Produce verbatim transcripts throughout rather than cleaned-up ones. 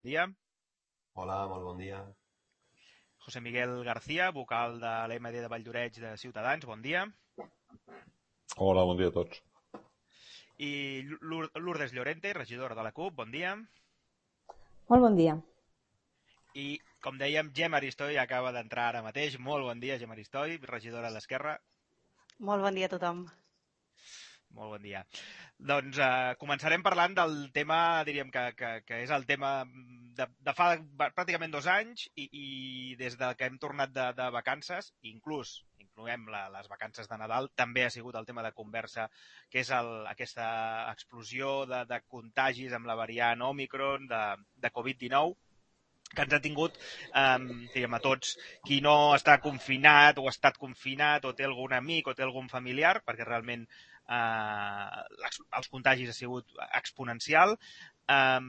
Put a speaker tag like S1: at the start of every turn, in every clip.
S1: dia.
S2: Hola, molt bon dia.
S1: José Miguel García, vocal de l'M D de Valldoreix de Ciutadans, bon dia.
S3: Hola, bon dia a tots.
S1: I Lour- Lourdes Llorente, regidora de la CUP, bon dia.
S4: Molt bon dia.
S1: I, com dèiem, Gemma Aristoi acaba d'entrar ara mateix. Molt bon dia, Gemma Aristoi, regidora d'Esquerra.
S5: Molt bon dia a tothom.
S1: Molt bon dia. Doncs eh, començarem parlant del tema, diríem que, que, que és el tema de, de fa pràcticament dos anys i, i des de que hem tornat de, de vacances, inclús incloem la, les vacances de Nadal, també ha sigut el tema de conversa, que és el, aquesta explosió de, de contagis amb la variant Omicron de, de covid dinou, que ens ha tingut eh, diguem, a tots, qui no està confinat o ha estat confinat o té algun amic o té algun familiar, perquè realment eh, els contagis ha sigut exponencial. Eh,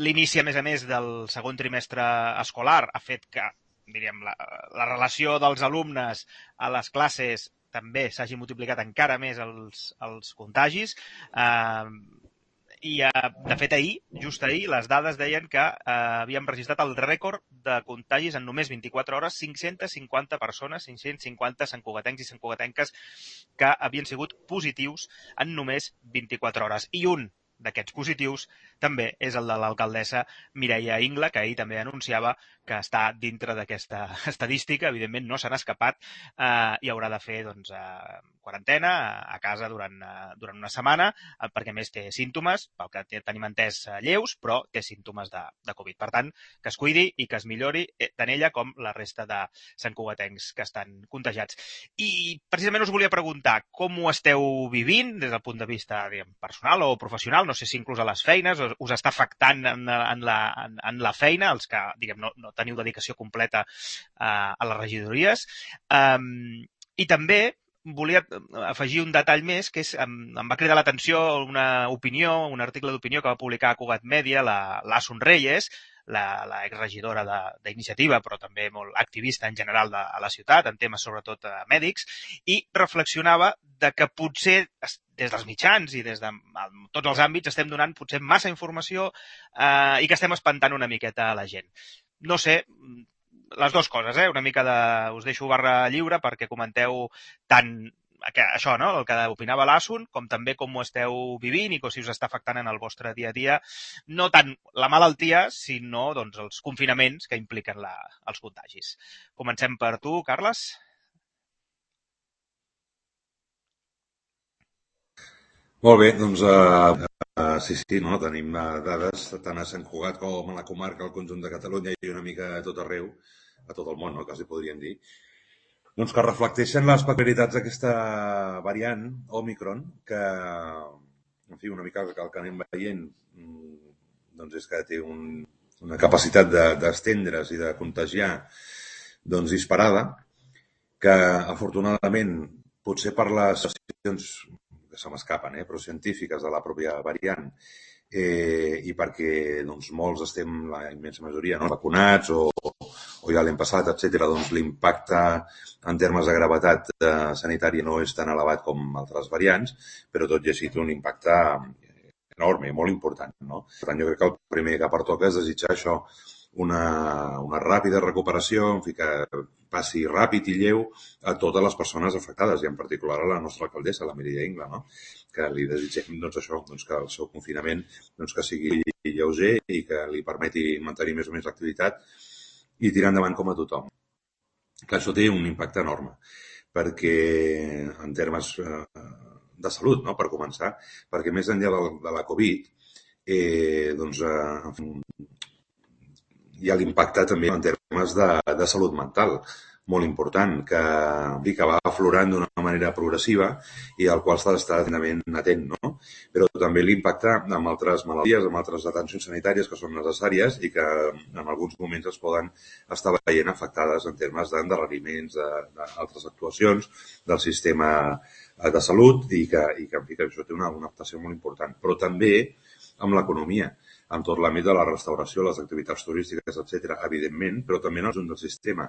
S1: L'inici, a més a més, del segon trimestre escolar ha fet que diríem, la, la relació dels alumnes a les classes també s'hagi multiplicat encara més els, els contagis. Eh, I, de fet, ahir, just ahir, les dades deien que eh, havíem registrat el rècord de contagis en només vint-i-quatre hores, cinc-centes cinquanta persones, cinc-cents cinquanta santcugatencs i santcugatenques que havien sigut positius en només vint-i-quatre hores. I un d'aquests positius també és el de l'alcaldessa Mireia Ingla, que ahir també anunciava que està dintre d'aquesta estadística. Evidentment no se n'ha escapat eh, i haurà de fer doncs, eh, quarantena a casa durant, eh, durant una setmana, eh, perquè més té símptomes, pel que tenim entès eh, lleus, però té símptomes de, de Covid. Per tant, que es cuidi i que es millori eh, tant ella com la resta de santcugatencs que estan contagiats. I precisament us volia preguntar com ho esteu vivint des del punt de vista diguem, personal o professional, no sé si inclús a les feines, us està afectant en, en, la, en, en la feina, els que diguem, no, no teniu dedicació completa uh, a les regidories. Um, I també volia afegir un detall més, que és, em, em va cridar l'atenció una opinió, un article d'opinió que va publicar a Cugat Mèdia, la, l'Asun Reyes, la, la exregidora d'Iniciativa, però també molt activista en general de, a la ciutat, en temes sobretot eh, mèdics, i reflexionava de que potser des dels mitjans i des de tots els àmbits estem donant potser massa informació eh, i que estem espantant una miqueta a la gent. No sé, les dues coses, eh? Una mica de... us deixo barra lliure perquè comenteu tant això, no? El que opinava l'Asun, com també com ho esteu vivint i com si us està afectant en el vostre dia a dia, no tant la malaltia, sinó doncs, els confinaments que impliquen la, els contagis. Comencem per tu, Carles.
S3: Molt bé, doncs uh, uh, sí, sí, no? Tenim uh, dades tant a Sant Cugat com a la comarca, al conjunt de Catalunya i una mica a tot arreu, a tot el món, no? Quasi podríem dir. Doncs que reflecteixen les peculiaritats d'aquesta variant, Omicron, que, en fi, una mica el que anem veient doncs és que té un, una capacitat d'estendre's de, i de contagiar doncs disparada, que afortunadament, potser per les situacions que se m'escapen, eh, però científiques de la pròpia variant, eh, i perquè doncs, molts estem, la immensa majoria, no, vacunats o, o ja l'hem passat, etcètera, doncs l'impacte en termes de gravetat eh, sanitària no és tan elevat com altres variants, però tot i així té un impacte enorme, molt important, no? Per tant, jo crec que el primer que pertoca és desitjar això, una, una ràpida recuperació, en fi, que passi ràpid i lleu a totes les persones afectades, i en particular a la nostra alcaldessa, la Mireia Ingla, no? Que li desitgem doncs, això, doncs, que el seu confinament doncs, que sigui lleuger i que li permeti mantenir més o menys l'activitat i tirar endavant com a tothom. Clar, això té un impacte enorme, perquè en termes eh, de salut, no? Per començar, perquè més enllà de, de la Covid, eh, doncs, eh, en fi, hi ha l'impacte també en termes de, de salut mental, molt important, que, que va aflorant d'una manera progressiva i al qual s'ha d'estar atentament atent, no? Però també l'impacte amb altres malalties, amb altres atencions sanitàries que són necessàries i que en alguns moments es poden estar veient afectades en termes d'endarreriments, d'altres actuacions del sistema de salut i que, i que, i que això té una, una afectació molt important. Però també amb l'economia, en tot l'àmbit de la restauració, les activitats turístiques, etcètera, evidentment, però també en el conjunt del sistema,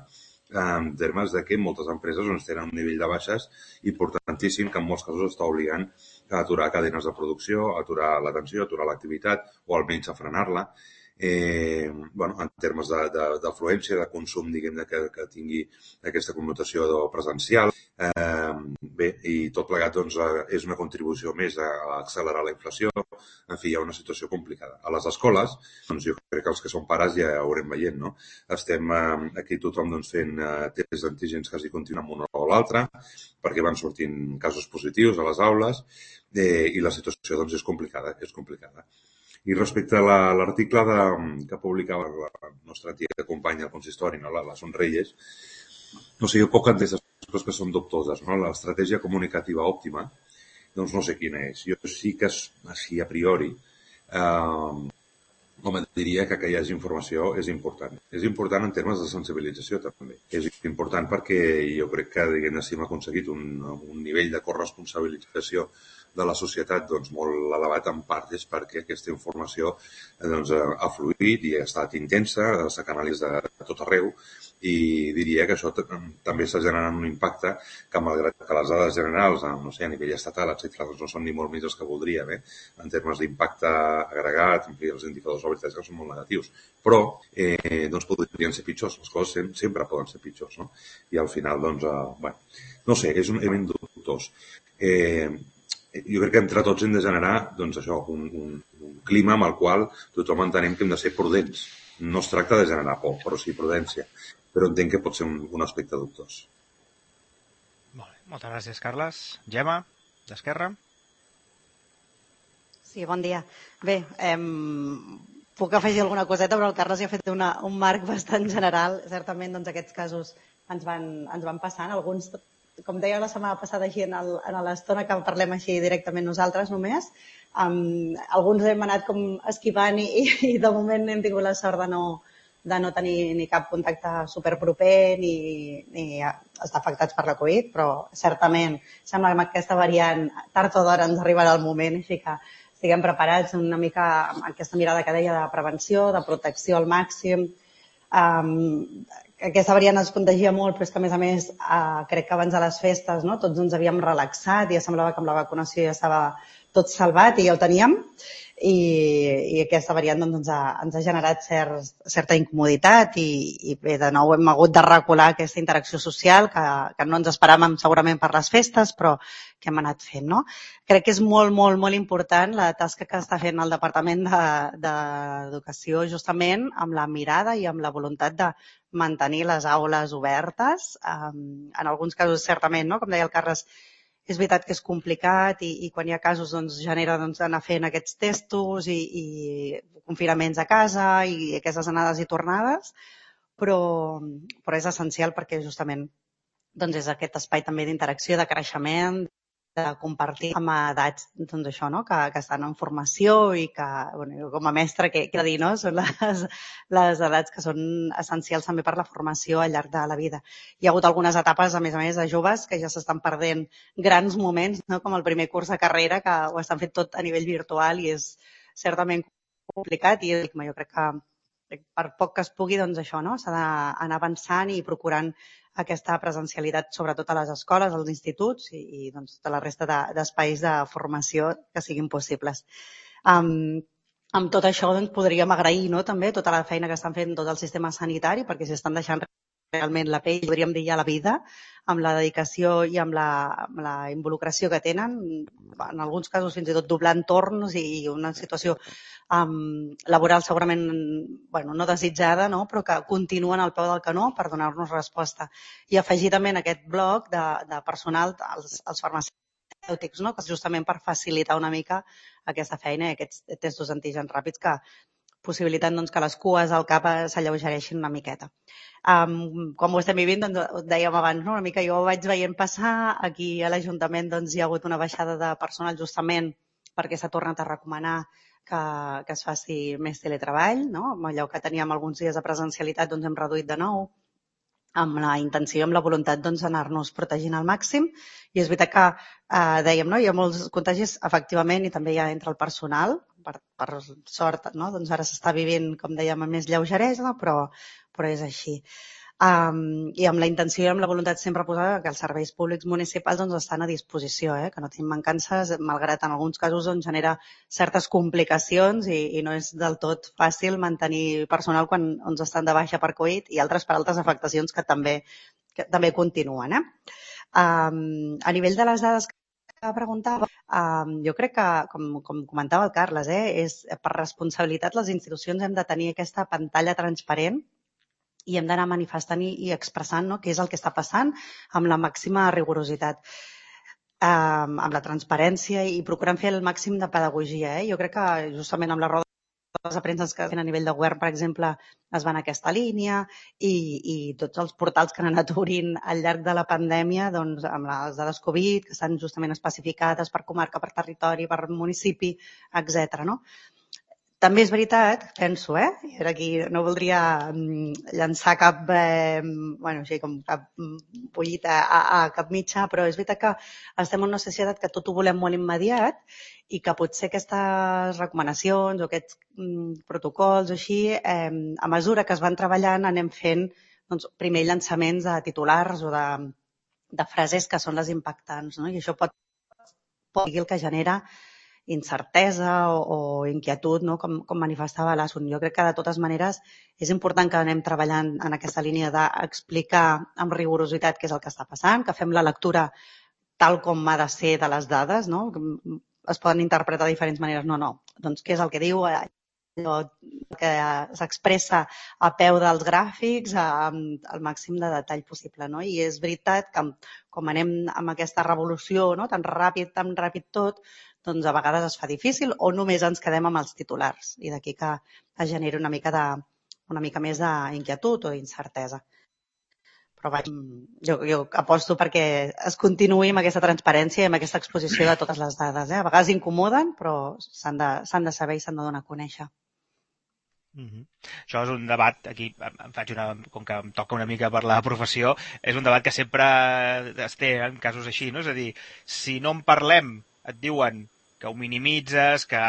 S3: en termes de que moltes empreses doncs, tenen un nivell de baixes importantíssim que en molts casos està obligant a aturar cadenes de producció, a aturar l'atenció, a aturar l'activitat o almenys a frenar-la. eh, bueno, en termes d'afluència, de, de, de consum, diguem-ne, que, que tingui aquesta connotació presencial. Eh, bé, i tot plegat doncs, és una contribució més a, a accelerar la inflació. En fi, hi ha una situació complicada. A les escoles, doncs jo crec que els que som pares ja ho haurem veient, no? Estem eh, aquí tothom doncs, fent eh, tests d'antígens quasi continuen amb un o l'altre, perquè van sortint casos positius a les aules, eh, i la situació doncs, és complicada, és complicada. I respecte a l'article que publicava la nostra antiga companya al consistori, no? la, la Sonreyes, no sé, jo poc entès les coses que són dubtoses, no? L'estratègia comunicativa òptima, doncs no sé quina és. Jo sí que, així a priori, eh, home, diria que que hi hagi informació és important. És important en termes de sensibilització, també. És important perquè jo crec que, diguem-ne, si hem aconseguit un, un nivell de corresponsabilització de la societat doncs, molt elevat, en part és perquè aquesta informació doncs, ha fluït i ha estat intensa, s'ha canalitzat de tot arreu, i diria que això també està generant un impacte que, malgrat que les dades generals, no sé, a nivell estatal, etcètera, doncs no són ni molt més els que voldríem, eh? En termes d'impacte agregat, en fi, els indicadors la veritat és que són molt negatius. Però eh, doncs podrien ser pitjors, les coses sempre, sempre poden ser pitjors, no? I al final, doncs, eh, bueno, no sé, és un element dubtós. Eh, jo crec que entre tots hem de generar doncs, això, un, un, un clima amb el qual tothom entenem que hem de ser prudents. No es tracta de generar por, però sí prudència. Però entenc que pot ser un, un aspecte dubtós.
S1: Molt bé. Moltes gràcies, Carles. Gemma, d'Esquerra.
S5: Sí, bon dia. Bé, eh, puc afegir alguna coseta, però el Carles ja ha fet una, un marc bastant general. Certament, doncs, aquests casos ens van, ens van passant. Alguns, com deia la setmana passada, així en l'estona que parlem així directament nosaltres només, um, alguns hem anat com esquivant i, i de moment hem tingut la sort de no, de no tenir ni cap contacte superproper ni, ni estar afectats per la Covid, però certament sembla que aquesta variant tard o d'hora ens arribarà el moment, així que estiguem preparats una mica amb aquesta mirada que deia de prevenció, de protecció al màxim. Um, aquesta variant es contagia molt, però és que a més a més uh, crec que abans de les festes, no, tots ens havíem relaxat i ja semblava que amb la vacunació ja estava tot salvat i ja ho teníem, i, i aquesta variant doncs, ens, ha, ens ha generat cert, certa incomoditat i, i bé, de nou hem hagut de recular aquesta interacció social que, que no ens esperàvem segurament per les festes, però que hem anat fent, no? Crec que és molt, molt, molt important la tasca que està fent el Departament d'Educació de, justament amb la mirada i amb la voluntat de mantenir les aules obertes. En alguns casos, certament, no? Com deia el Carles, és veritat que és complicat i, i quan hi ha casos doncs, genera doncs, anar fent aquests testos i, i confinaments a casa i aquestes anades i tornades, però, però és essencial perquè justament doncs, és aquest espai també d'interacció, de creixement, de compartir amb edats doncs, això, no? que, que estan en formació i que, bueno, com a mestre, què he de dir, no? Són les, les edats que són essencials també per la formació al llarg de la vida. Hi ha hagut algunes etapes, a més a més, de joves que ja s'estan perdent grans moments, no? Com el primer curs de carrera, que ho estan fent tot a nivell virtual i és certament complicat i jo crec que per poc que es pugui, doncs això, no? S'ha d'anar avançant i procurant aquesta presencialitat, sobretot a les escoles, als instituts i, i doncs, tota la resta d'espais de, de formació que siguin possibles. Um, amb tot això doncs, podríem agrair, no, també tota la feina que estan fent tot el sistema sanitari, perquè s'hi estan deixant realment la pell, podríem dir ja la vida, amb la dedicació i amb la, amb la involucració que tenen, en alguns casos fins i tot doblant torns i una situació um, laboral segurament bueno, no desitjada, no? Però que continuen al peu del canó per donar-nos resposta. I afegir també en aquest bloc de, de personal els, els farmacèutics, no? Que és justament per facilitar una mica aquesta feina i aquests testos antígens ràpids que possibilitant doncs, que les cues al cap s'alleugereixin una miqueta. Um, com ho estem vivint, doncs, ho dèiem abans, no? Una mica jo ho vaig veient passar, aquí a l'Ajuntament doncs, hi ha hagut una baixada de personal justament perquè s'ha tornat a recomanar que, que es faci més teletreball, no? Amb allò que teníem alguns dies de presencialitat doncs, hem reduït de nou, amb la intenció i amb la voluntat doncs, d'anar-nos protegint al màxim. I és veritat que, eh, dèiem, no? Hi ha molts contagis, efectivament, i també hi ha entre el personal, per, per sort, no? Doncs ara s'està vivint, com dèiem, amb més lleugeresa, però, però és així. Um, I amb la intenció i amb la voluntat sempre posada que els serveis públics municipals doncs, estan a disposició, eh? Que no tenim mancances, malgrat en alguns casos doncs, genera certes complicacions i, i no és del tot fàcil mantenir personal quan ens estan de baixa per Covid i altres per altres afectacions que també, que també continuen. Eh? Um, a nivell de les dades que preguntava, um, jo crec que, com, com comentava el Carles, eh, és per responsabilitat les institucions hem de tenir aquesta pantalla transparent i hem d'anar manifestant i, i expressant, no?, què és el que està passant amb la màxima rigorositat, eh, amb la transparència i procurant fer el màxim de pedagogia. Eh? Jo crec que justament amb la roda de premsa que fent a nivell de govern, per exemple, es va en aquesta línia i, i tots els portals que han anat obrint al llarg de la pandèmia, doncs, amb les dades Covid, que estan justament especificades per comarca, per territori, per municipi, etcètera. No? També és veritat, penso, eh? I ara aquí no voldria llançar cap, eh, bueno, així com cap pollita a, a cap mitjà, però és veritat que estem en una societat que tot ho volem molt immediat i que potser aquestes recomanacions o aquests mm, protocols o així, eh, a mesura que es van treballant anem fent doncs, primer llançaments de titulars o de, de frases que són les impactants, no? I això pot, pot ser el que genera incertesa o, o inquietud, no? com, com manifestava l'Asun. Jo crec que de totes maneres és important que anem treballant en aquesta línia d'explicar amb rigorositat què és el que està passant, que fem la lectura tal com ha de ser de les dades, no? Es poden interpretar de diferents maneres. No, no. Doncs què és el que diu, allò que s'expressa a peu dels gràfics amb el màxim de detall possible. No? I és veritat que com anem amb aquesta revolució, no? tan ràpid, tan ràpid tot, doncs a vegades es fa difícil o només ens quedem amb els titulars i d'aquí que es generi una mica, de, una mica més d'inquietud o d'incertesa. Però vaig, jo, jo aposto perquè es continuï amb aquesta transparència i amb aquesta exposició de totes les dades. Eh? A vegades incomoden, però s'han de, s'han de saber i s'han de donar a conèixer.
S1: Mm-hmm. Això és un debat, aquí em faig una, com que em toca una mica per la professió, és un debat que sempre es té en casos així, no? És a dir, si no en parlem et diuen que ho minimitzes, que,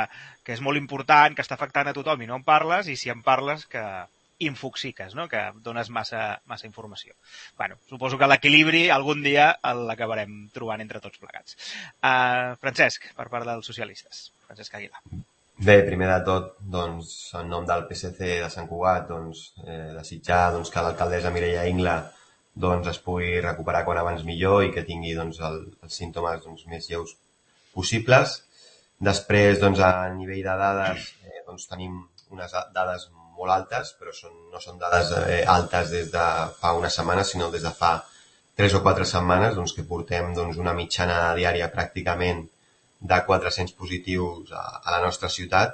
S1: que és molt important, que està afectant a tothom i no en parles, i si en parles que infoxiques, no? Que dones massa, massa informació. Bueno, suposo que l'equilibri algun dia l'acabarem trobant entre tots plegats. Uh, Francesc, per part dels socialistes. Francesc Aguilar.
S2: Bé, primer de tot, doncs, en nom del P S C de Sant Cugat, doncs, eh, desitjar doncs, que l'alcaldessa Mireia Ingla doncs, es pugui recuperar quan abans millor i que tingui doncs, el, els símptomes doncs, més lleus possibles. Després, doncs, a nivell de dades, eh, doncs, tenim unes dades molt altes, però són, no són dades eh, altes des de fa una setmana, sinó des de fa tres o quatre setmanes, doncs, que portem doncs, una mitjana diària pràcticament de quatre-cents positius a, a la nostra ciutat.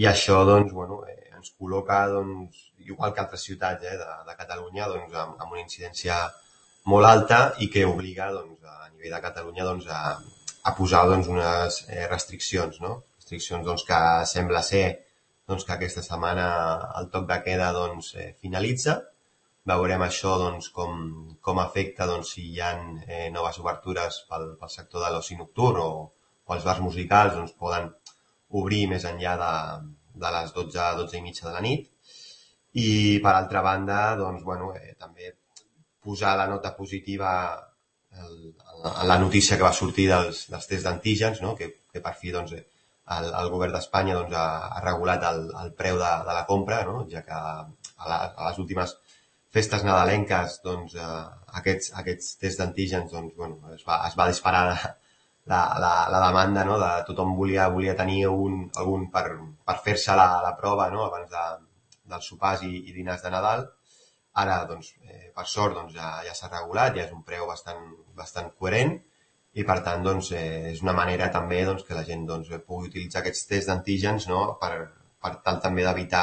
S2: I això doncs, bueno, eh, ens col·loca, doncs, igual que altres ciutats eh, de, de Catalunya, doncs, amb, amb una incidència molt alta i que obliga doncs, a nivell de Catalunya doncs, a a posar doncs, unes eh, restriccions, no? Restriccions doncs, que sembla ser doncs, que aquesta setmana el toc de queda doncs, eh, finalitza. Veurem això doncs, com, com afecta doncs, si hi ha eh, noves obertures pel, pel sector de l'oci nocturn o, o els bars musicals doncs, poden obrir més enllà de, de les dotze, dotze i mitja de la nit. I per altra banda, doncs, bueno, eh, també posar la nota positiva El, la notícia que va sortir dels, dels tests d'antígens, no? que, que per fi doncs, el, el govern d'Espanya doncs, ha, ha regulat el, el preu de, de la compra, no? Ja que a, la, a les últimes festes nadalenques doncs, eh, aquests, aquests tests d'antígens doncs, bueno, es, va, es va disparar la, la, la demanda, no? De tothom volia, volia tenir un, algun per, per fer-se la, la prova no? Abans de, dels sopars i, i dinars de Nadal. Ara, doncs, eh, per sort, doncs, ja, ja s'ha regulat, ja és un preu bastant, bastant coherent i, per tant, doncs, eh, és una manera també doncs, que la gent doncs, pugui utilitzar aquests tests d'antígens no? per, per tal també d'evitar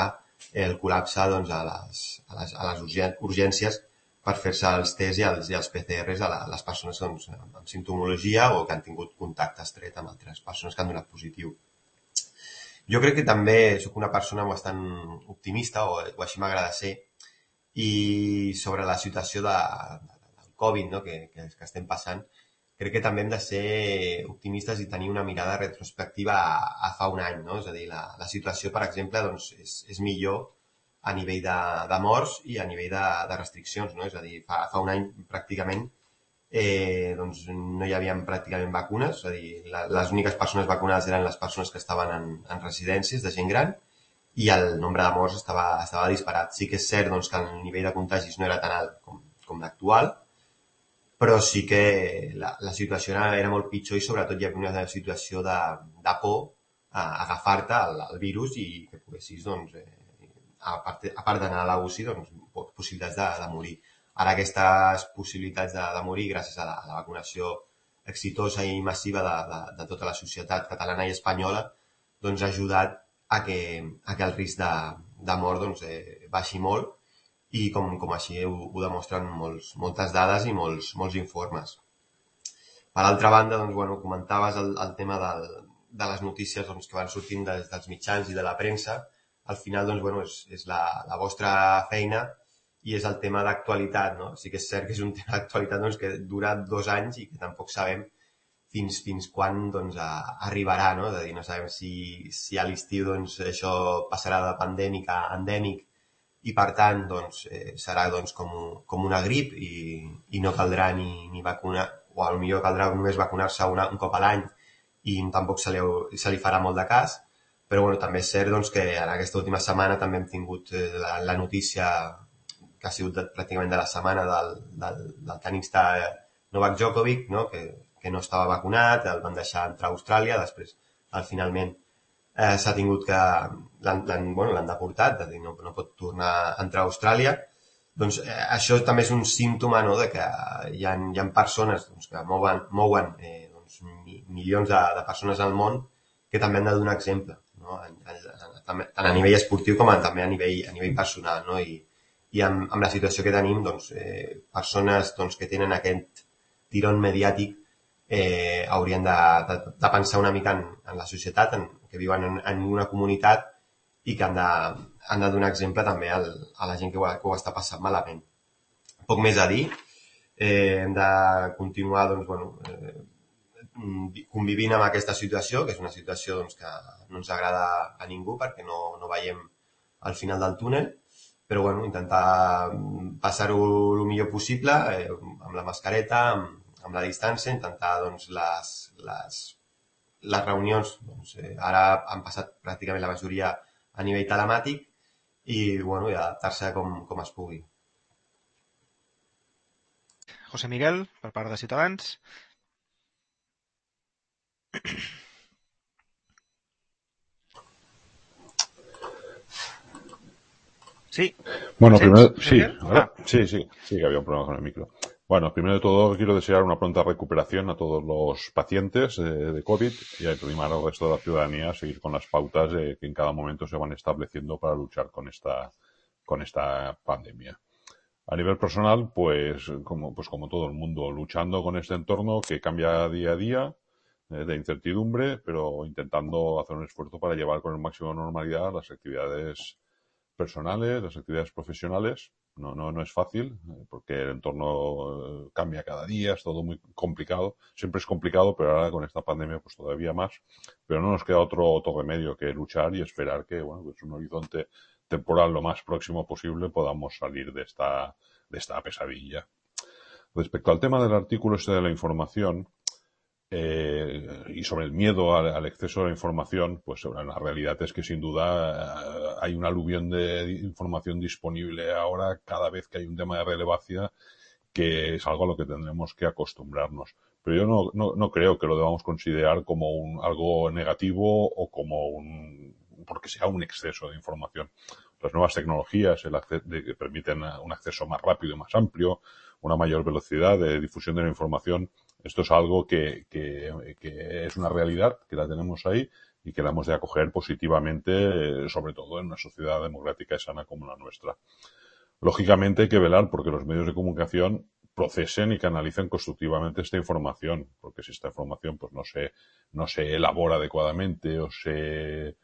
S2: el col·lapse doncs, a, les, a, les, a les urgències per fer-se els tests i els, i els P C Rs a, la, a les persones doncs, amb simptomologia o que han tingut contacte estret amb altres persones que han donat positiu. Jo crec que també soc una persona bastant optimista, o, o així m'agrada ser, i sobre la situació de, del Covid no? que, que, que estem passant, crec que també hem de ser optimistes i tenir una mirada retrospectiva a, a fa un any. No? És a dir, la, la situació, per exemple, doncs, és, és millor a nivell de, de morts i a nivell de, de restriccions, no? És a dir, fa, fa un any pràcticament eh, doncs no hi havia pràcticament vacunes, és a dir, la, les úniques persones vacunades eren les persones que estaven en, en residències de gent gran i el nombre de morts estava, estava disparat. Sí que és cert doncs, que el nivell de contagis no era tan alt com, com l'actual, però sí que la, la situació era, era molt pitjor i sobretot hi havia una situació de, de por a agafar-te al, al virus i que poguessis, doncs, eh, a part, a part d'anar a la U C I, doncs, possibilitats de, de morir. Ara aquestes possibilitats de, de morir, gràcies a la, a la vacunació exitosa i massiva de, de, de tota la societat catalana i espanyola, doncs ha ajudat a que, a que el risc de, de mort doncs, eh, baixi molt i com, com així ho, ho demostren molts, moltes dades i molts, molts informes. Per altra banda, doncs, bueno, comentaves el, el tema del, de les notícies doncs, que van sortint des dels mitjans i de la premsa. Al final, doncs, bueno, és, és la, la vostra feina i és el tema d'actualitat, no? Sí que és cert que és un tema d'actualitat doncs, que dura dos anys i que tampoc sabem fins, fins quan doncs, a, arribarà, no? És a dir, no sabem si, si a l'estiu doncs, això passarà de pandèmic a endèmic i, per tant, doncs, eh, serà doncs, com, com una grip i, i no caldrà ni, ni vacunar, o potser caldrà només vacunar-se una, un cop a l'any i tampoc se li, se li farà molt de cas. Però bueno, també és cert doncs, que en aquesta última setmana també hem tingut eh, la, la notícia que ha sigut de, pràcticament de la setmana del, del, del tenista Novak Djokovic, no? que, que no estava vacunat, el van deixar entrar a Austràlia, després al finalment eh, s'ha tingut que l'han bueno, deportat, és a dir, no, no pot tornar a entrar a Austràlia. Doncs eh, això també és un símptoma, no? De que hi ha, hi ha persones doncs, que mouen, mouen eh, doncs, milions de, de persones al món que també han de donar exemple. No? Tant a nivell esportiu com a, també a nivell, a nivell personal. No? I, i amb, amb la situació que tenim, doncs, eh, persones doncs, que tenen aquest tirón mediàtic eh, haurien de, de, de pensar una mica en, en la societat, en, que viuen en, en una comunitat i que han de, han de donar exemple també al, a la gent que ho, que ho està passant malament. Poc més a dir. Eh, hem de continuar doncs, bueno, eh, convivint amb aquesta situació, que és una situació doncs, que no ens agrada a ningú perquè no, no veiem al final del túnel, però bueno, intentar passar-ho el millor possible, eh, amb la mascareta, amb, amb la distància, intentar doncs, les, les, les reunions, doncs, eh, ara han passat pràcticament la majoria a nivell telemàtic i, bueno, i adaptar-se com, com es pugui.
S1: José Miguel, per part de Ciutadans. Sí.
S6: Bueno, primero, sí,
S1: ah.
S6: sí, sí, sí que había un problema con el micro. Bueno, primero de todo quiero desear una pronta recuperación a todos los pacientes de, de COVID y animar al resto de la ciudadanía a seguir con las pautas eh, que en cada momento se van estableciendo para luchar con esta, con esta pandemia. A nivel personal, pues como, pues como todo el mundo, luchando con este entorno que cambia día a día, eh, de incertidumbre, pero intentando hacer un esfuerzo para llevar con el máximo de normalidad las actividades personales, las actividades profesionales. No, no, no es fácil, porque el entorno cambia cada día, es todo muy complicado. Siempre es complicado, pero ahora con esta pandemia pues todavía más. Pero no nos queda otro, otro remedio que luchar y esperar que, bueno, pues un horizonte temporal lo más próximo posible podamos salir de esta, de esta pesadilla. Respecto al tema del artículo este de la información, Eh, y sobre el miedo al, al exceso de la información, pues la realidad es que sin duda eh, hay un aluvión de información disponible ahora cada vez que hay un tema de relevancia, que es algo a lo que tendremos que acostumbrarnos. Pero yo no, no, no creo que lo debamos considerar como un, algo negativo o como un, porque sea un exceso de información. Las nuevas tecnologías el acceso, de, que permiten un acceso más rápido y más amplio, una mayor velocidad de difusión de la información. Esto es algo que, que, que es una realidad, que la tenemos ahí y que la hemos de acoger positivamente, sobre todo en una sociedad democrática y sana como la nuestra. Lógicamente hay que velar porque los medios de comunicación procesen y canalicen constructivamente esta información, porque si esta información pues no se, no se elabora adecuadamente o se,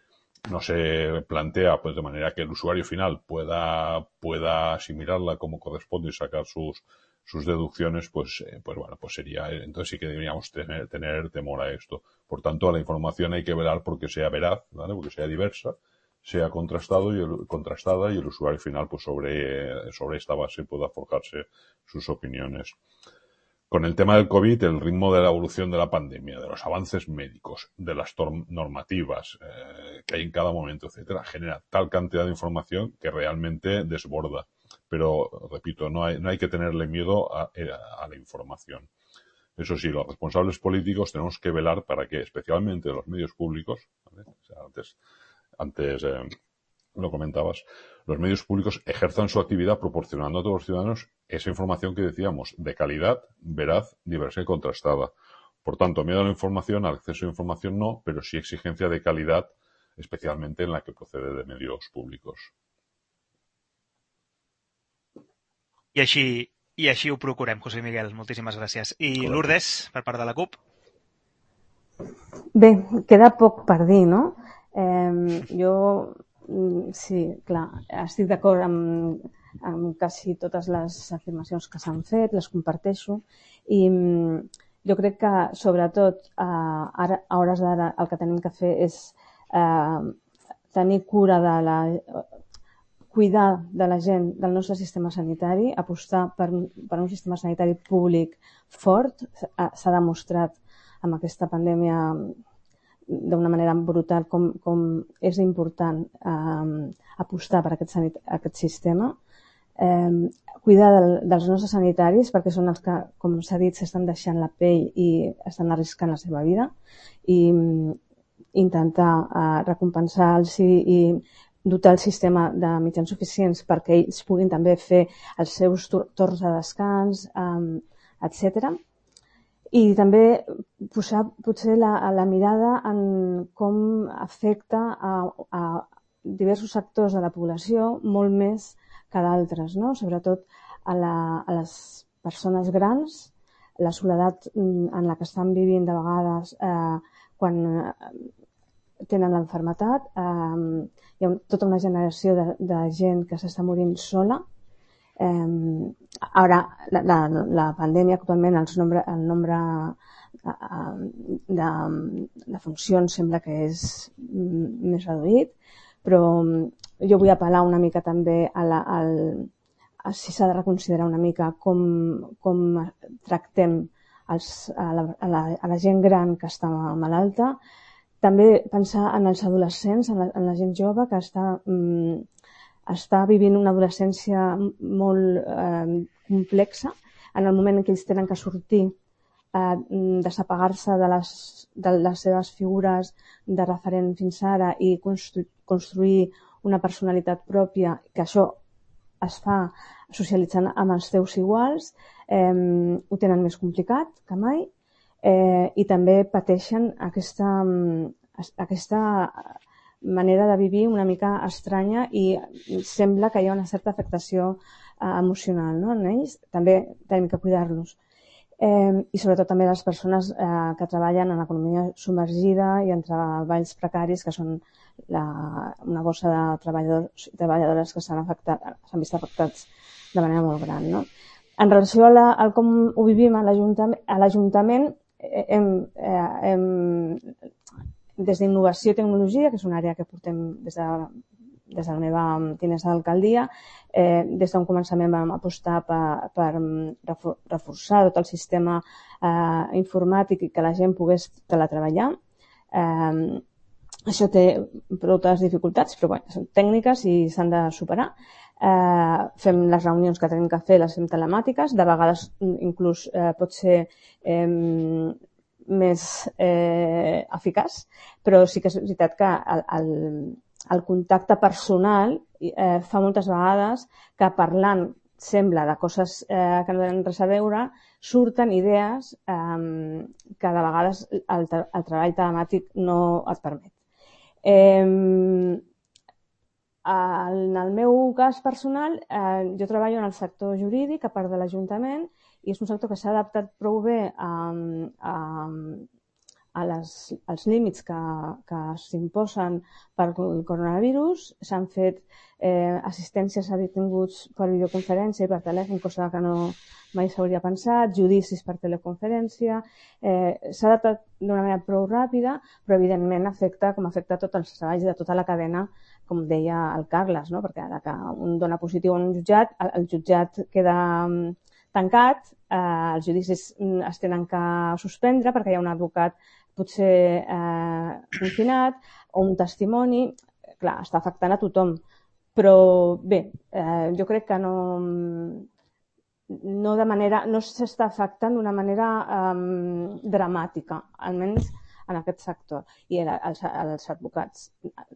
S6: no se plantea pues de manera que el usuario final pueda, pueda asimilarla como corresponde y sacar sus sus deducciones, pues, eh, pues bueno, pues sería, entonces sí que deberíamos tener, tener temor a esto. Por tanto, a la información hay que velar porque sea veraz, ¿vale? Porque sea diversa, sea contrastado y el, contrastada y el usuario final, pues sobre, sobre esta base, pueda forjarse sus opiniones. Con el tema del COVID, el ritmo de la evolución de la pandemia, de los avances médicos, de las normativas eh, que hay en cada momento, etcétera, genera tal cantidad de información que realmente desborda. Pero, repito, no hay, no hay que tenerle miedo a, a, a la información. Eso sí, los responsables políticos tenemos que velar para que, especialmente los medios públicos, ¿vale? O sea, antes, antes eh, lo comentabas, los medios públicos ejerzan su actividad proporcionando a todos los ciudadanos esa información que decíamos, de calidad, veraz, diversa y contrastada. Por tanto, miedo a la información, al acceso a información no, pero sí exigencia de calidad, especialmente en la que procede de medios públicos.
S1: I així, i així ho procurem, José Miguel. Moltíssimes gràcies. I Correcte. Lourdes, per part de la CUP?
S4: Bé, queda poc per dir, no? Eh, jo, sí, clar, estic d'acord amb, amb quasi totes les afirmacions que s'han fet, les comparteixo, i jo crec que, sobretot, eh, ara, a hores d'ara, el que tenim que fer és eh, tenir cura de la... cuidar de la gent del nostre sistema sanitari, apostar per, per un sistema sanitari públic fort. S'ha demostrat amb aquesta pandèmia d'una manera brutal com, com és important eh, apostar per aquest, sanit, aquest sistema. Eh, cuidar del, dels nostres sanitaris, perquè són els que, com s'ha dit, s'estan deixant la pell i estan arriscant la seva vida, i intentar eh, recompensar-los i, i dotar el sistema de mitjans suficients perquè ells puguin també fer els seus torns de descans, um, etcètera. I també posar potser la, la mirada en com afecta a, a diversos sectors de la població, molt més que d'altres, no? Sobretot a, la, a les persones grans, la soledat en la que estan vivint de vegades eh, quan tenen l'enfermetat. Eh, hi ha tota una generació de, de gent que s'està morint sola. Eh, ara, la, la, la pandèmia actualment, el nombre, el nombre de, de funcions sembla que és més reduït, però jo vull apel·lar una mica també a, la, al, a si s'ha de reconsiderar una mica com, com tractem els, a, la, a, la, a la gent gran que està malalta. També pensar en els adolescents, en la, en la gent jove que està, mm, està vivint una adolescència molt eh, complexa, en el moment en què ells tenen que sortir, eh, desapegar-se de les, de les seves figures de referent fins ara i constru, construir una personalitat pròpia, que això es fa socialitzant amb els teus iguals, eh, ho tenen més complicat que mai. Eh, i també pateixen aquesta, aquesta manera de vivir una mica estranya i sembla que hi ha una certa afectació eh, emocional, no, en ells. També tenim que cuidar-los. Eh, I sobretot també les persones eh, que treballen en economia submergida i en treballs precaris, que són la, una bossa de treballadors i treballadores que s'han vist afectats de manera molt gran, no? En relació a, la, a com ho vivim a l'Ajuntament, Hem, eh, hem, des d'innovació i tecnologia, que és una àrea que portem des de, des de la meva tinença d'alcaldia, eh, des d'un començament vam apostar per, per reforçar tot el sistema eh, informàtic i que la gent pogués teletreballar. Eh, això té moltes dificultats, però bé, són tècniques i s'han de superar. Eh, fem les reunions que tenim que fer, les fem telemàtiques, de vegades inclús eh, pot ser eh, més eh, eficaç, però sí que és veritat que el, el, el contacte personal eh, fa moltes vegades que parlant sembla de coses eh, que no tenen res a veure, surten idees eh, que de vegades el, el treball telemàtic no et permet. Eh, En el meu cas personal, eh, jo treballo en el sector jurídic, a part de l'Ajuntament, i és un sector que s'ha adaptat prou bé a, a, a les, als límits que, que s'imposen per el coronavirus. S'han fet eh, assistències a detinguts per videoconferència i per telèfon, cosa que no mai s'hauria pensat, judicis per teleconferència. Eh, s'ha datat d'una manera prou ràpida, però evidentment afecta com afecta tots els treballs de tota la cadena, com deia el Carles, no? Perquè ara que un dona positiu en un jutjat, el, el jutjat queda tancat, eh, els judicis es tenen que suspendre perquè hi ha un advocat potser eh, confinat o un testimoni. Clar, està afectant a tothom. Però bé, eh, jo crec que no... no de manera, no s'està afectant d'una manera um, dramàtica, almenys en aquest sector. I els, els advocats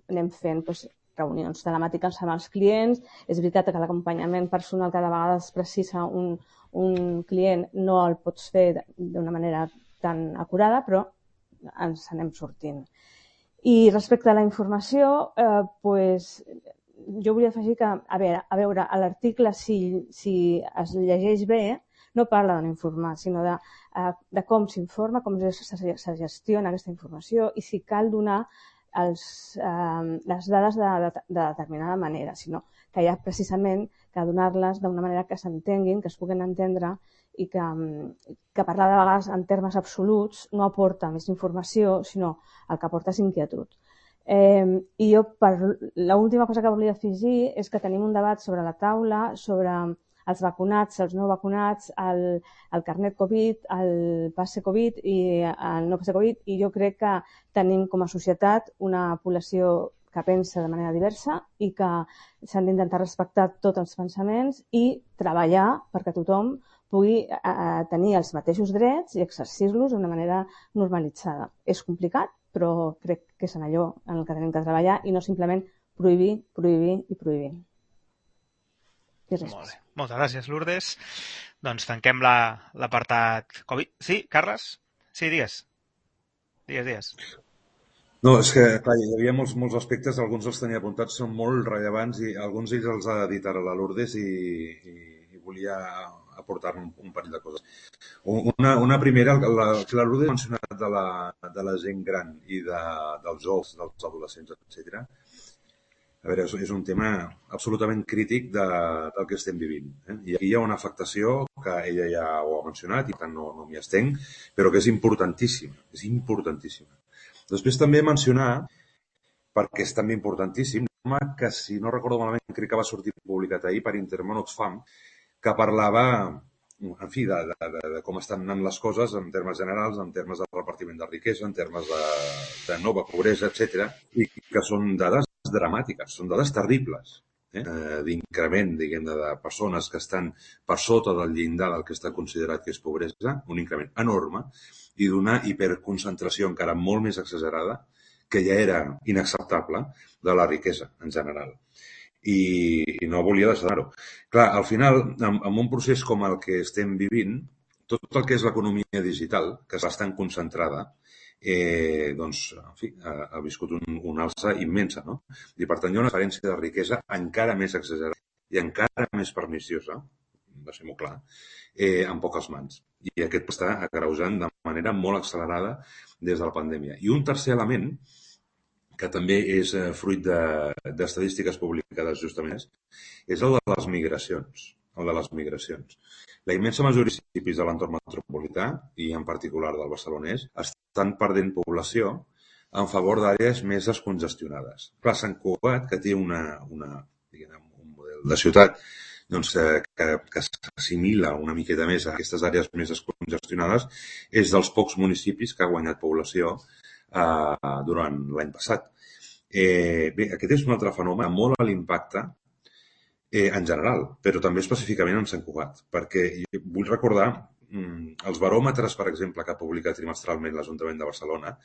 S4: anem fent doncs, reunions telemàtiques amb els clients. És veritat que l'acompanyament personal cada vegada es precisa un, un client, no el pots fer d'una manera tan acurada, però ens anem sortint. I respecte a la informació, eh, pues, jo volia afegir que, a veure, a veure a l'article, si, si es llegeix bé, no parla d'informar, sinó de, de com s'informa, com se gestiona aquesta informació i si cal donar els, eh, les dades de, de, de determinada manera, sinó que hi ha precisament que donar-les d'una manera que s'entenguin, que es puguin entendre i que, que parlar de vegades en termes absoluts no aporta més informació, sinó el que aporta és inquietud. Eh, I jo, per l'última cosa que volia afegir és que tenim un debat sobre la taula, sobre els vacunats, els no vacunats, el, el carnet Covid, el passe Covid i el no passe Covid, i jo crec que tenim com a societat una població que pensa de manera diversa i que s'han d'intentar respectar tots els pensaments i treballar perquè tothom pugui eh, tenir els mateixos drets i exercir-los d'una manera normalitzada. És complicat, però crec que és en allò en el que tenim que treballar i no simplement prohibir, prohibir i prohibir. I res
S1: Molt bé. Moltes gràcies, Lourdes. Doncs tanquem l'apartat la, Covid. Sí, Carles? Sí, digues. Digues, digues.
S3: No, és que, clar, hi havia molts, molts aspectes, alguns els tenia apuntats, són molt rellevants i alguns d'ells els ha dit ara la Lourdes i, i, i volia aportar un, un parell de coses. Una, una primera, la, que la Lourdes ha mencionat de la, de la gent gran i de, dels joves, dels adolescents, etcètera. A veure, és un tema absolutament crític de, del que estem vivint. Eh? I aquí hi ha una afectació que ella ja ho ha mencionat i per tant no, no m'hi estenc, però que és importantíssima, és importantíssima. Després també mencionar, perquè és també importantíssim, que si no recordo malament crec que va sortir publicat ahir per Intermón Oxfam, que parlava, en fi, de, de, de, de com estan anant les coses en termes generals, en termes de repartiment de riquesa, en termes de, de nova pobresa, etcètera, i que són dades dramàtiques, són dades terribles, eh? d'increment, diguem, de, de persones que estan per sota del llindar del que està considerat que és pobresa, un increment enorme, i d'una hiperconcentració encara molt més exagerada, que ja era inacceptable, de la riquesa en general. I, i no volia deixar-ho. Clar, al final, en, en un procés com el que estem vivint, tot el que és l'economia digital, que és bastant concentrada, eh, doncs, en fi, ha, ha viscut un, una alça immensa, no? I per tant hi ha una diferència de riquesa encara més exagerada i encara més perniciosa, deixem-ho clar, eh, en poques mans. I aquest està agreujant de manera molt accelerada des de la pandèmia. I un tercer element, que també és eh, fruit d'estadístiques de, publicades justament, és el de les migracions. El de les migracions. La immensa majoria de municipis de l'entorn metropolità, i en particular del barcelonès, estan perdent població en favor d'àrees més descongestionades. Clar, Sant Cugat, que té una, una, diguem, un model de ciutat doncs, eh, que, que s'assimila una miqueta més a aquestes àrees més descongestionades, és dels pocs municipis que ha guanyat població eh, durant l'any passat. Eh, bé, aquest és un altre fenomen molt a l'impacte eh, en general, però també específicament en Sant Cugat, perquè vull recordar mm, els baròmetres, per exemple, que ha publicat trimestralment l'Ajuntament de Barcelona,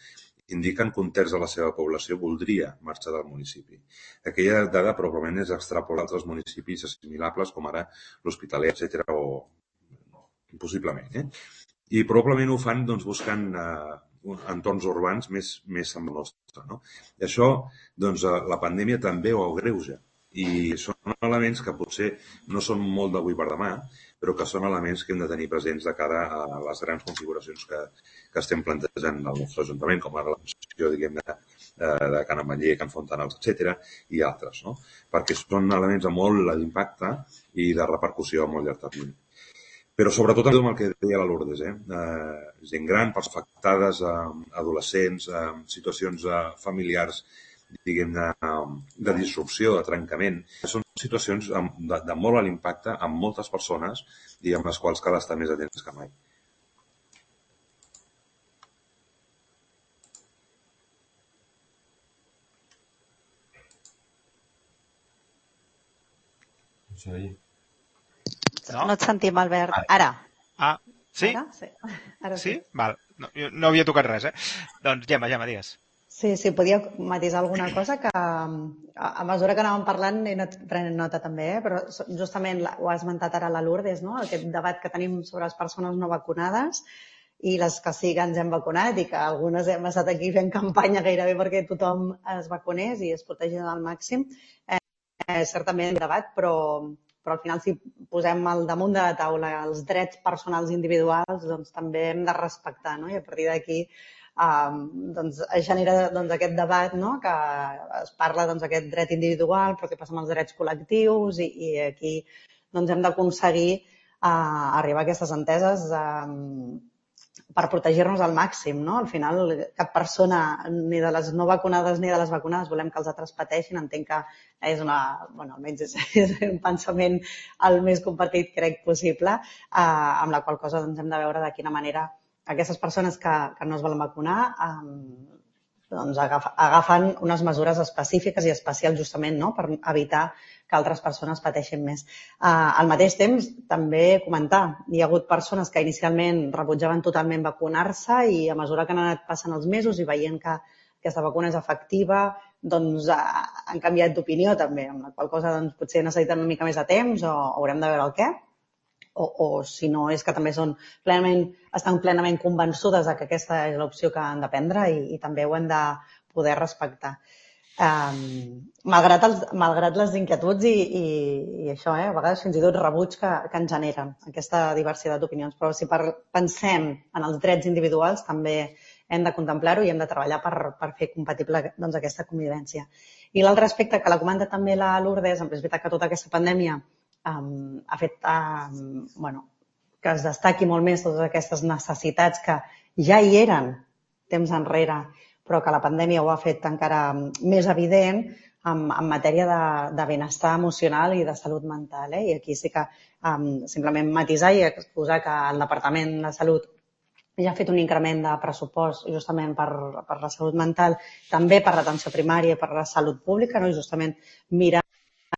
S3: indiquen que un terç de la seva població voldria marxar del municipi. Aquella dada probablement és extrapolable a altres municipis assimilables, com ara l'Hospitalet, etcètera, o possiblement. Eh? I probablement ho fan doncs, buscant eh, entorns urbans més, més amb el nostre. No? I això, doncs, la pandèmia també ho agreuja. I són elements que potser no són molt d'avui per demà, però que són elements que hem de tenir presents de cara a les grans configuracions que, que estem plantejant al nostre Ajuntament, com ara la funció, diguem-ne, de Can Ametller, Can Fontanals, etcètera, i altres, no? Perquè són elements de molt d'impacte i de repercussió a molt llarg termini. Però sobretot amb el que deia la Lourdes, eh? Eh, gent gran, persones afectades, eh, adolescents, eh, situacions eh, familiars, diguem-ne, de disrupció, de trencament. Són situacions de, de molt alt impacte amb moltes persones i amb les quals cal estar més atents que mai.
S2: Sí.
S5: No, no et sentim, Albert. Ara.
S1: Ah, sí?
S5: Ara? Sí. Ara sí?
S1: Sí? Val. No, no havia tocat res, eh? Doncs, Gemma, Gemma, digues.
S5: Sí, sí, podia matisar alguna cosa que a mesura que anàvem parlant he anat prenent nota també, eh? Però justament ho ha esmentat ara la Lourdes, no? Aquest debat que tenim sobre les persones no vacunades i les que sí que ens hem vacunat i que algunes hem estat aquí fent campanya gairebé perquè tothom es vacunés i es protegís al màxim. Eh, certament debat, però, però al final si posem al damunt de la taula els drets personals individuals, doncs també hem de respectar, no? I a partir d'aquí Um, doncs es genera doncs, aquest debat, no? Que es parla doncs, d'aquest dret individual, però què passa amb els drets col·lectius i, i aquí doncs, hem d'aconseguir uh, arribar a aquestes enteses um, per protegir-nos al màxim, no? Al final cap persona, ni de les no vacunades ni de les vacunades, volem que els altres pateixin. Entenc que és una, bueno, almenys és, és un pensament el més compartit, crec, possible, uh, amb la qual cosa doncs, hem de veure de quina manera aquestes persones que, que no es volen vacunar eh, doncs agaf, agafen unes mesures específiques i especials justament, no? Per evitar que altres persones pateixin més. Eh, al mateix temps, també comentar, hi ha hagut persones que inicialment rebutjaven totalment vacunar-se i a mesura que han anat passant els mesos i veient que aquesta vacuna és efectiva, doncs eh, han canviat d'opinió també, amb la qual cosa doncs, potser necessiten una mica més de temps o haurem de veure el què. O, o si no és que també són plenament, estan plenament convençudes de que aquesta és l'opció que han de prendre i, i també ho hem de poder respectar. Um, malgrat, els, malgrat les inquietuds i, i, i això, eh, a vegades fins i tot rebuig que, que ens generen aquesta diversitat d'opinions. Però si per, pensem en els drets individuals també hem de contemplar-ho i hem de treballar per, per fer compatible doncs, aquesta convivència. I l'altre aspecte que la comanda també la Lourdes, en veritat que tota aquesta pandèmia Um, ha fet um, bueno, que es destaqui molt més totes aquestes necessitats que ja hi eren temps enrere, però que la pandèmia ho ha fet encara més evident en, en matèria de, de benestar emocional i de salut mental. Eh? I aquí sí que um, simplement matisar i exposar que el Departament de Salut ja ha fet un increment de pressupost justament per, per la salut mental, també per l'atenció primària i per la salut pública, no? I justament mirar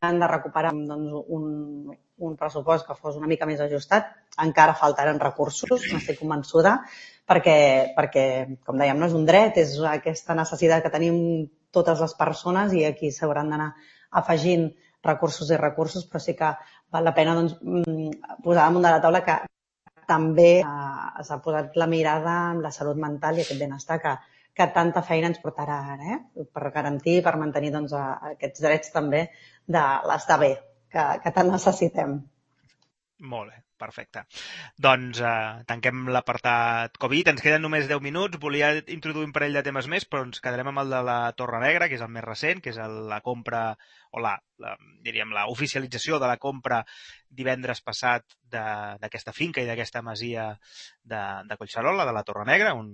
S5: han de recuperar doncs, un, un pressupost que fos una mica més ajustat. Encara faltaran recursos, n'estic convençuda, perquè, perquè, com dèiem, no és un dret, és aquesta necessitat que tenim totes les persones i aquí s'hauran d'anar afegint recursos i recursos, però sí que val la pena doncs, posar damunt de la taula que també eh, s'ha posat la mirada en la salut mental i aquest benestar que, que tanta feina ens portarà ara, eh? Per garantir, per mantenir doncs, aquests drets també de l'estar bé, que, que tant necessitem.
S1: Molt bé, perfecte. Doncs eh, tanquem l'apartat Covid. Ens queden només deu minuts. Volia introduir un parell de temes més, però ens quedarem amb el de la Torre Negra, que és el més recent, que és el, la compra, o la, la, diríem, la oficialització de la compra divendres passat d'aquesta finca i d'aquesta masia de, de Collserola, de la Torre Negra, un,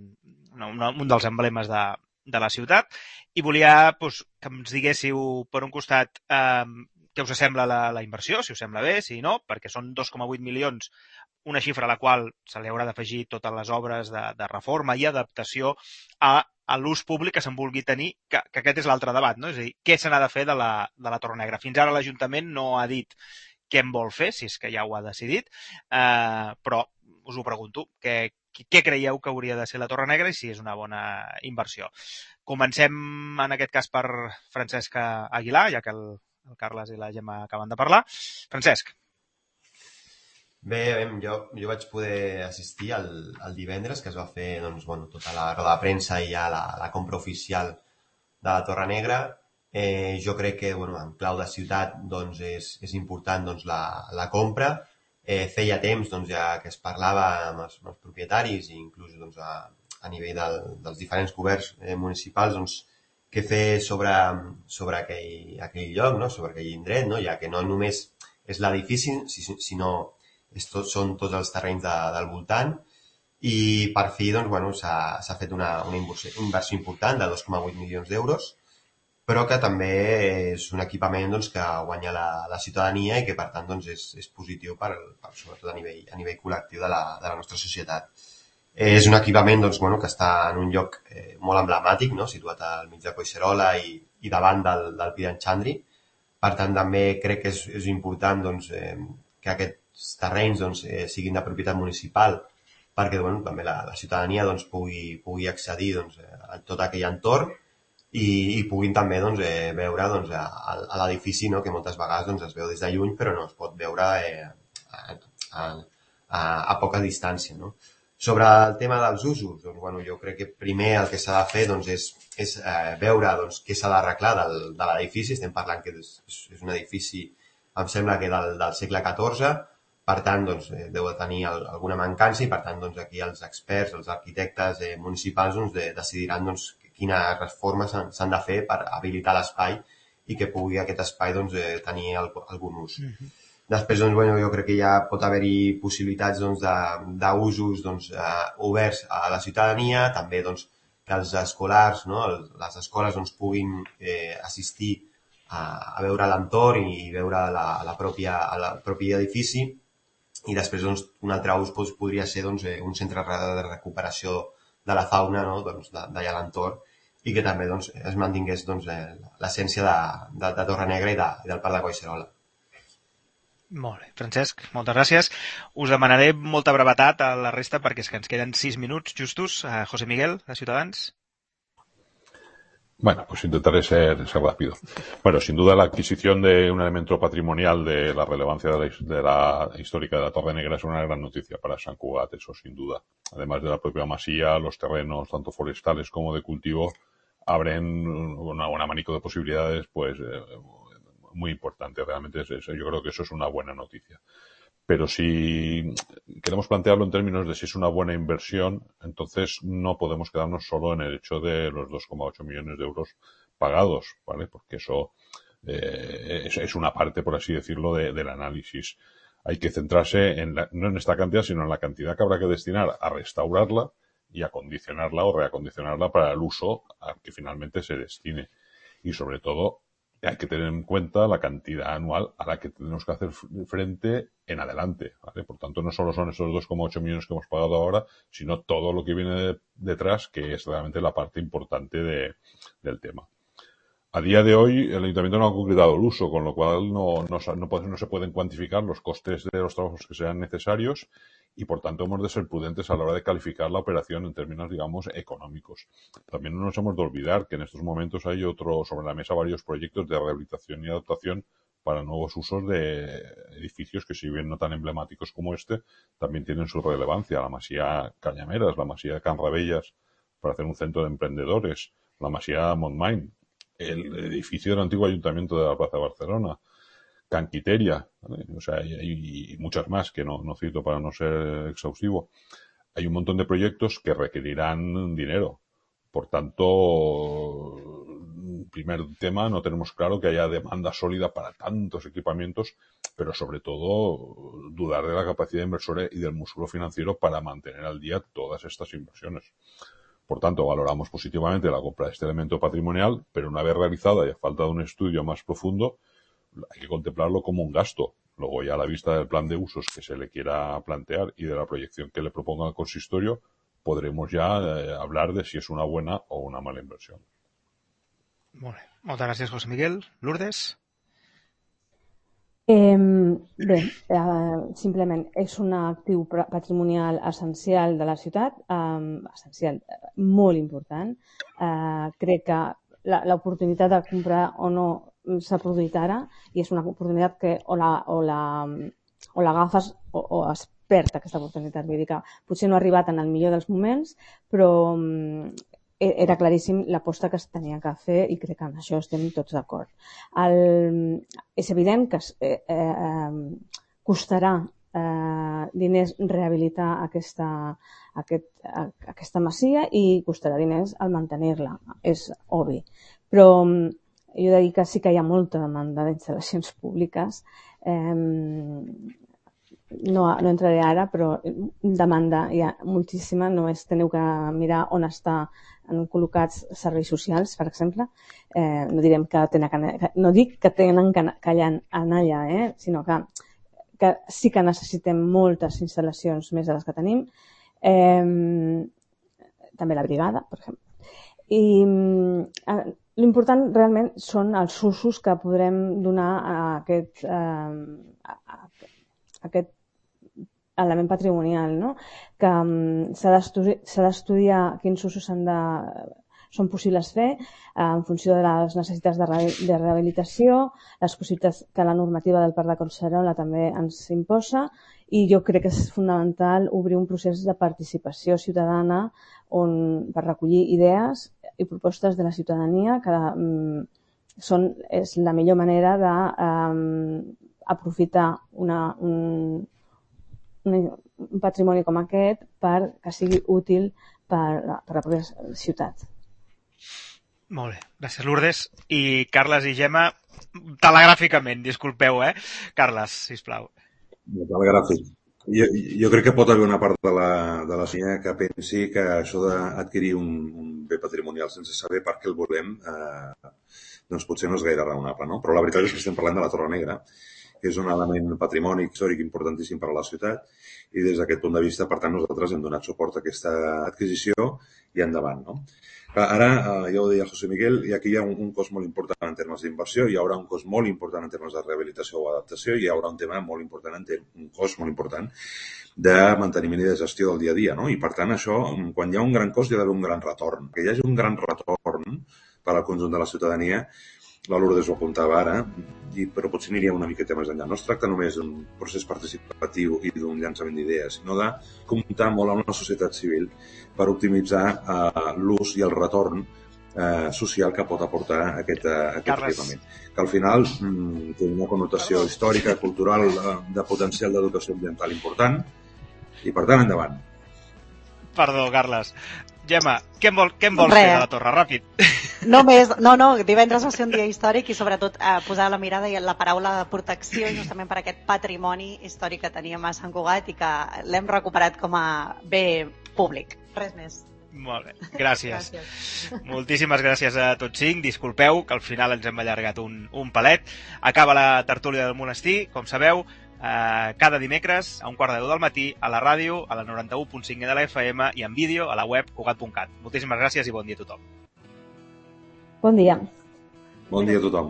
S1: un, un dels emblemes de, de la ciutat. I volia doncs, que ens diguéssiu, per un costat, eh, què us sembla la, la inversió, si us sembla bé, si no, perquè són dos coma vuit milions, una xifra a la qual se li haurà d'afegir totes les obres de, de reforma i adaptació a, a l'ús públic que se'n vulgui tenir, que, que aquest és l'altre debat, no? És a dir, què se n'ha de fer de la, de la Torre Negra? Fins ara l'Ajuntament no ha dit què en vol fer, si és que ja ho ha decidit, eh, però us ho pregunto, què, què creieu que hauria de ser la Torre Negra i si és una bona inversió? Comencem, en aquest cas, per Francesc Aguilar, ja que el, el Carles i la Gemma acaben de parlar. Francesc.
S2: Bé, jo, jo vaig poder assistir al, al divendres, que es va fer doncs, bueno, tota la roda de premsa i ja la, la compra oficial de la Torre Negra, Eh, jo crec que bueno, en clau de ciutat doncs, és, és important doncs, la, la compra. Eh, feia temps doncs, ja que es parlava amb els, amb els propietaris i inclús doncs, a, a nivell del, dels diferents governs eh, municipals doncs, què fer sobre, sobre aquell, aquell lloc, no? Sobre aquell indret, no? Ja que no només és l'edifici, sinó és tot, són tots els terrenys de, del voltant. I per fi doncs, bueno, s'ha fet una, una inversió, inversió important de dos coma vuit milions d'euros, però que també és un equipament doncs, que guanya la, la ciutadania i que, per tant, doncs, és, és positiu per, per, sobretot a nivell, a nivell col·lectiu de la, de la nostra societat. Eh, és un equipament doncs, bueno, que està en un lloc eh, molt emblemàtic, no? Situat al mig de Collserola i, i davant del, del Pi d'en Xandri. Per tant, també crec que és, és important doncs, eh, que aquests terrenys doncs, eh, siguin de propietat municipal perquè bueno, també la, la ciutadania doncs, pugui, pugui accedir doncs, a tot aquell entorn i, i puguin també doncs, eh, veure doncs, a, a l'edifici, no? Que moltes vegades doncs, es veu des de lluny però no es pot veure eh, a, a, a, a poca distància. No? Sobre el tema dels usos, doncs, bueno, jo crec que primer el que s'ha de fer doncs, és, és eh, veure doncs, què s'ha d'arreglar del, de l'edifici. Estem parlant que és, és un edifici, em sembla que del, del segle catorze, per tant doncs, eh, deu de tenir el, alguna mancança i per tant doncs, aquí els experts, els arquitectes eh, municipals doncs, de, decidiran doncs, quines reformes s'han de fer per habilitar l'espai i que pugui aquest espai doncs, eh, tenir el, algun ús. Mm-hmm. Després, doncs, bueno, jo crec que ja pot haver-hi possibilitats doncs, d'usos doncs, eh, oberts a la ciutadania, també doncs, que els escolars, no? Les escoles doncs, puguin eh, assistir a, a veure l'entorn i veure la, la pròpia, el propi edifici. I després doncs, un altre ús doncs, podria ser doncs, un centre de recuperació de la fauna no? doncs, d'allà a l'entorn i que també doncs, es mantingués doncs, l'essència de, de, de Torrenegra i, de, i del Parc de Collserola.
S1: Molt bé. Francesc, moltes gràcies. Us demanaré molta brevetat a la resta perquè és que ens queden sis minuts justos. A José Miguel, de Ciutadans.
S6: Bueno, pues intentaré ser, ser rápido. Bueno, sin duda la adquisición de un elemento patrimonial de la relevancia de la, de la histórica de la Torre Negra es una gran noticia para Sant Cugat, eso sin duda. Además de la propia masía, los terrenos, tanto forestales como de cultivo, abren una, un abanico de posibilidades, pues, eh, muy importante. Realmente es, es, yo creo que eso es una buena noticia. Pero si queremos plantearlo en términos de si es una buena inversión, entonces no podemos quedarnos solo en el hecho de los dos coma ocho millones de euros pagados, ¿vale? Porque eso eh, es, es una parte, por así decirlo, de, del análisis. Hay que centrarse en la, no en esta cantidad, sino en la cantidad que habrá que destinar a restaurarla y acondicionarla o reacondicionarla para el uso al que finalmente se destine. Y sobre todo, hay que tener en cuenta la cantidad anual a la que tenemos que hacer frente en adelante, ¿vale? Por tanto, no solo son esos dos coma ocho millones que hemos pagado ahora, sino todo lo que viene de, detrás, que es realmente la parte importante de, del tema. A día de hoy, el Ayuntamiento no ha concretado el uso, con lo cual no, no, no, no se pueden cuantificar los costes de los trabajos que sean necesarios y, por tanto, hemos de ser prudentes a la hora de calificar la operación en términos, digamos, económicos. También no nos hemos de olvidar que en estos momentos hay otro sobre la mesa varios proyectos de rehabilitación y adaptación para nuevos usos de edificios que, si bien no tan emblemáticos como este, también tienen su relevancia. La Masía Cañameras, la Masía de Can Rabellas, para hacer un centro de emprendedores, la Masía Montmain, el edificio del antiguo Ayuntamiento de la Plaza de Barcelona, Canquiteria, ¿vale? O sea, hay, hay muchas más que no, no cito para no ser exhaustivo. Hay un montón de proyectos que requerirán dinero. Por tanto, primer tema, no tenemos claro que haya demanda sólida para tantos equipamientos, pero sobre todo dudar de la capacidad inversora y del músculo financiero para mantener al día todas estas inversiones. Por tanto, valoramos positivamente la compra de este elemento patrimonial, pero una vez realizada y a falta de un estudio más profundo, hay que contemplarlo como un gasto. Luego, ya a la vista del plan de usos que se le quiera plantear y de la proyección que le proponga el consistorio, podremos ya eh, hablar de si es una buena o una mala inversión.
S1: Molt bé. Moltes gràcies, José Miguel. Lourdes?
S4: Eh, bé, eh, simplement és un actiu patrimonial essencial de la ciutat, eh, essencial, molt important. Eh, crec que l'oportunitat de comprar o no s'ha produït ara i és una oportunitat que o la, o la, o l'agafes o, o es perd aquesta oportunitat. Vull dir que potser no ha arribat en el millor dels moments, però era claríssim l'aposta que es tenia que fer i crec que en això estem tots d'acord. El... És evident que eh, eh, costarà eh, diners rehabilitar aquesta, aquest, aquesta masia i costarà diners el mantenir-la, és obvi. Però jo he de dir que sí que hi ha molta demanda d'instal·lacions públiques. Eh, no, no entraré ara, però demanda hi ha moltíssima. Només teniu que mirar on està han col·locats serveis socials, per exemple. Eh, no direm que tenen que, no dic que tenen que anar allà, eh? Sinó que, que sí que necessitem moltes instal·lacions més de les que tenim. Eh, també la brigada, per exemple. I eh, l'important realment són els usos que podrem donar a aquest, eh, a, a, a aquest element patrimonial, no? Que um, s'ha d'estudiar quins usos de, són possibles fer eh, en funció de les necessitats de, re, de rehabilitació, les possibilitats que la normativa del Parc de Collserola també ens imposa, i jo crec que és fonamental obrir un procés de participació ciutadana on, per recollir idees i propostes de la ciutadania que um, són, és la millor manera d'aprofitar um, una, un, un patrimoni com aquest per que sigui útil per, per la pròpia ciutat.
S1: Molt bé, gràcies Lourdes. I Carles i Gemma, telegràficament, disculpeu, eh? Carles, sisplau.
S3: Telegràfic. Jo, jo crec que pot haver una part de la, de la ciutadania que pensi que això d'adquirir un, un bé patrimonial sense saber per què el volem eh, doncs potser no és gaire raonable, no? Però la veritat és que estem parlant de la Torre Negra, que és un element patrimoni històric importantíssim per a la ciutat, i des d'aquest punt de vista, per tant, nosaltres hem donat suport a aquesta adquisició i endavant, no? Ara, ja ho deia José Miguel, i aquí hi ha un, un cost molt important en termes d'inversió, hi haurà un cost molt important en termes de rehabilitació o adaptació, i hi haurà un tema molt important, en termes, un cost molt important de manteniment i de gestió del dia a dia, no? I per tant, això, quan hi ha un gran cost, hi ha d'haver un gran retorn. Que hi hagi un gran retorn per al conjunt de la ciutadania, la Lourdes ho apuntava ara, i, però potser aniria una miqueta més enllà. No es tracta només d'un procés participatiu i d'un llançament d'idees, sinó de comptar molt amb la societat civil per optimitzar eh, l'ús i el retorn eh, social que pot aportar aquest, eh, aquest equipament. Que al final mm, té una connotació Perdó. històrica, cultural, eh, de potencial d'educació ambiental important, i per tant, endavant.
S1: Perdó, Carles. Gemma, què en, vol, què en vols Re. fer de la torre? Ràpid.
S5: No més, no, no, divendres va ser un dia històric i sobretot eh, posar la mirada i la paraula de protecció justament per aquest patrimoni històric que teníem a Sant Cugat i que l'hem recuperat com a bé públic. Res més.
S1: Molt bé, gràcies.
S5: gràcies.
S1: Moltíssimes gràcies a tots cinc. Disculpeu que al final ens hem allargat un, un palet. Acaba la tertúlia del monestir, com sabeu, eh, cada dimecres a un quart de deu del matí a la ràdio, a la noranta-u punt cinc de la F M i en vídeo a la web cugat punt cat. Moltíssimes gràcies i bon dia a tothom.
S4: Bon dia.
S3: Bon dia a tothom.